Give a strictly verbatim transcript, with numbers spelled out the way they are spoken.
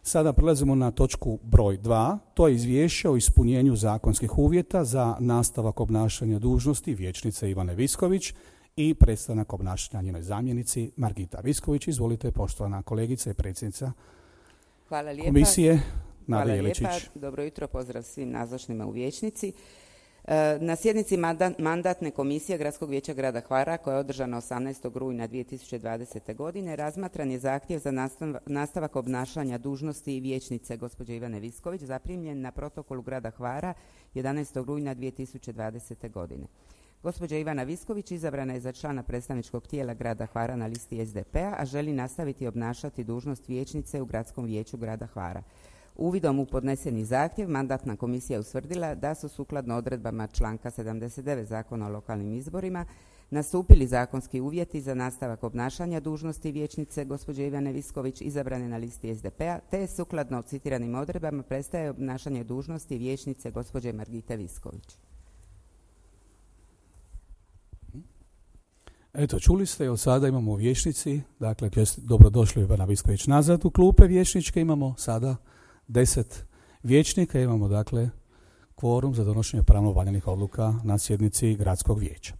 Sada prelazimo na točku broj dva, to je izvješće o ispunjenju zakonskih uvjeta za nastavak obnašanja dužnosti vijećnice Ivane Visković i prestanak obnašanja njenoj zamjenici Margita Visković. Izvolite, poštovana kolegica i predsjednica Hvala lijepa. komisije Nada Hvala Jeličić. lijepa. Dobro jutro, pozdrav svim nazočnima u vijećnici. Na sjednici mandatne komisije Gradskog vijeća grada Hvara koja je održana osamnaestog rujna dvije tisuće dvadesete. godine razmatran je zahtjev za nastavak obnašanja dužnosti vijećnice gospođe Ivane Visković zaprimljen na protokolu grada Hvara jedanaestog rujna dvije tisuće dvadesete. godine. Gospođa Ivana Visković izabrana je za člana predstavničkog tijela grada Hvara na listi es de pe-a, a želi nastaviti obnašati dužnost vijećnice u Gradskom vijeću grada Hvara. Uvidom u podneseni zahtjev mandatna komisija je utvrdila da su sukladno odredbama članka sedamdeset devet Zakona o lokalnim izborima nastupili zakonski uvjeti za nastavak obnašanja dužnosti vijećnice gospođe Ivane Visković izabrane na listi es de pe-a, te sukladno citiranim odredbama prestaje obnašanje dužnosti vijećnice gospođe Margite Visković. Eto, čuli ste, od sada imamo u vijećnici, dakle, dobrodošli Ivana Visković nazad u klupe vijećničke, imamo sada deset vijećnika, imamo dakle kvorum za donošenje pravno valjanih odluka na sjednici gradskog vijeća.